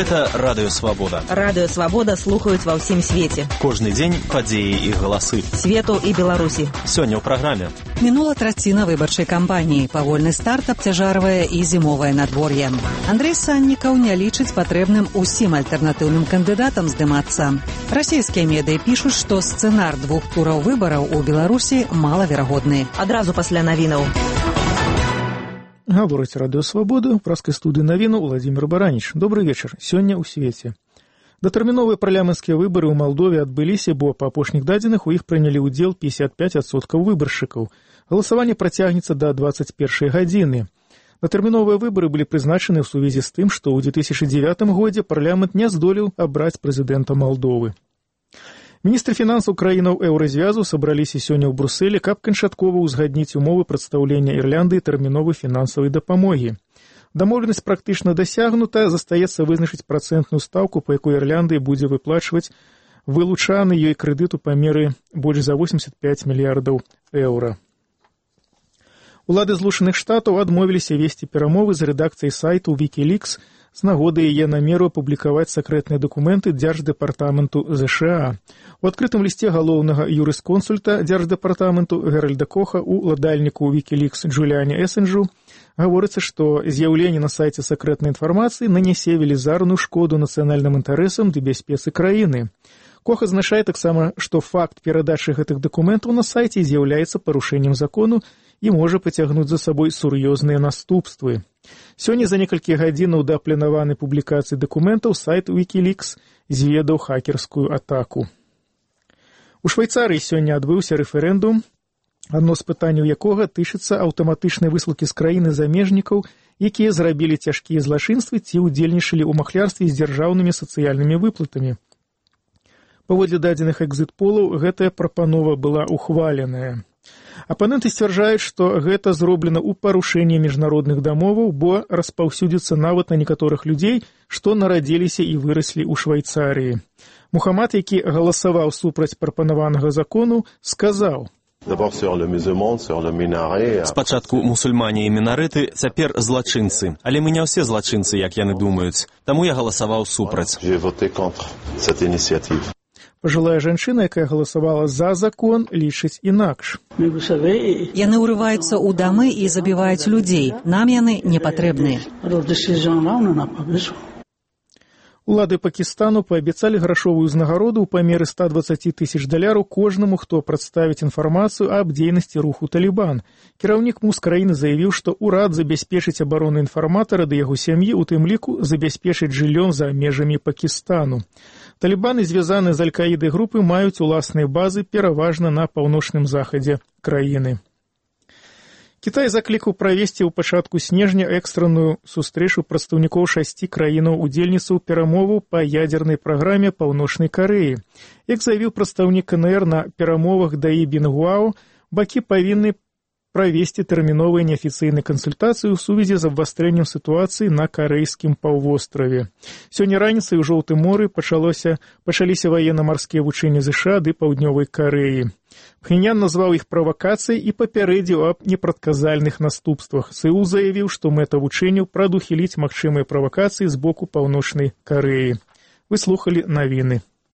Гэта Радыё Свабода. Радыё Свабода слухаюць ва ўсім свеце. Кожны дзень падзеі і галасы. Свету і Беларусі. Сёння ў праграме. Мінула траціна выбарчай кампаніі. Павольны старт абцяжарвае і зімовае надвор'е. Андрэй Саннікаў не лічыць патрэбным усім альтэрнатыўным кандыдатам здымацца. Расійскія медыі пішуць, што сцэнар 2 тураў выбараў у Беларусі малаверагодны. Адразу пасля навінаў. Гаворыць Радыё Свабода, ў праскай студыі навіну Владзімир Бараніч. Добры вечар. Сёння ў свеце. Датэрміновыя парламенцкія выбары ў Малдове адбыліся, бо па апошніх дадзеных у іх прынялі ўдзел 55% выбаршчыкаў. Галасаванне працягнецца да 21 гадзіны. Датэрміновыя выбары былі прызначаны ў сувязі з тым, што ў 2009 годзе парламент не здолеў абраць прэзідэнта Малдовы. Міністры фінансаў краінаў еўразвязу сабраліся сёння ў Брусэлі, каб канчаткова ўзгадніць умовы прадстаўлення Ірландыі тэрміновай фінансавай дапамогі. Дамоўленасць практычна дасягнута, застаецца вызначыць працэнтную стаўку, па якой Ірландыя будзе выплачваць вылучаны ёй крэдыт у памеры больш за 85 мільярдаў еўра. Улады Злучаных Штатаў адмовіліся весці перамовы з рэдакцыяй сайту Wikileaks з нагоды яе намеру апублікаваць сакрэтныя дакументы Дзярждэпартаменту ЗША. У адкрытым лісце галоўнага юрысконсульта Дзярждэпартаменту Геральда Коха у ўладальніку Wikileaks Джуліане Эссенджу гаворыцца, што з'яўленне на сайце сакрэтнай інфармацыі нанясе велізарную шкоду нацыянальным інтарэсам ды бяспецы краіны. Кох азначае таксама, што факт перадачы гэтых дакументаў на сайце з'яўляецца парушэннем закону і можа пацягнуць за сабой сур'ёзныя наступствы. Сёння за некалькі гадзінаў да планаванай публікацыі дакументаў сайт Wikileaks зведаў хакерскую атаку. У Швейцарыі сёння адбыўся рэферэндум, адно з пытанняў якога тычыцца аўтаматычнай высылкі з краіны замежнікаў, якія зрабілі цяжкія злачынствы ці ўдзельнічалі ў махлярстве з дзяржаўнымі сацыяльнымі выплатамі. Паводле дадзеных экзіт-полаў, гэтая прапанова была ухваленая. Апаненты сцвярджаюць, што гэта зроблена ў парушэнні міжнародных дамоваў, бо распаўсюдзіцца нават на некаторых людзей, што нарадзіліся і выраслі ў Швейцарыі. Мухаммад, які галасаваў супраць прапанаванага закону, сказаў: «Спачатку мусульмане і мінарэты, цяпер злачынцы. Але мы не ўсе злачынцы, як яны думаюць. Таму я галасаваў супраць». Пажылая жанчына, якая галасавала за закон, лічыць інакш. Яны ўрываюцца ў дамы і забіваюць людзей. Нам яны не патрэбныя. Улады Пакістану паабяцалі грашовую ўзнагароду ў памеры $120,000 кожнаму, хто прадставіць інфармацыю аб дзейнасці руху Талібан. Кіраўнік МУЗ краіны заявіў, што ўрад забяспечыць абарону інфарматара ды яго сям'і, у тым ліку забяспечыць жыллём за межамі Пакістану. Талібаны, звязаны з Аль-Каідай групы, маюць уласныя базы пераважна на паўночным захадзе краіны. Кітай заклікаў правесці ў пачатку снежня экстранную сустрэчу прадстаўнікоў 6 краінаў-удзельніцаў перамоваў па ядзернай праграме Паўночнай Карэі. Як заявіў прадстаўнік КНР на перамовах Даі Бінгуао, бакі павінны правесці тэрміновыя неафіцыйныя кансультацыі ў сувязі з абвастрэннем сітуацыі на карэйскім паўвостраве. Сёння раніцай у Жоўтым моры пачаліся ваенна-марскія вучэнні ЗША ды Паўднёвай Карэі. Пхеньян назваў іх правакацыяй і папярэдзіў аб непрадказальных наступствах. Сеул заявіў, што мэта вучэнняў прадухіліць магчымыя правакацыі з боку Паўночнай Карэі. Вы слухалі навіны.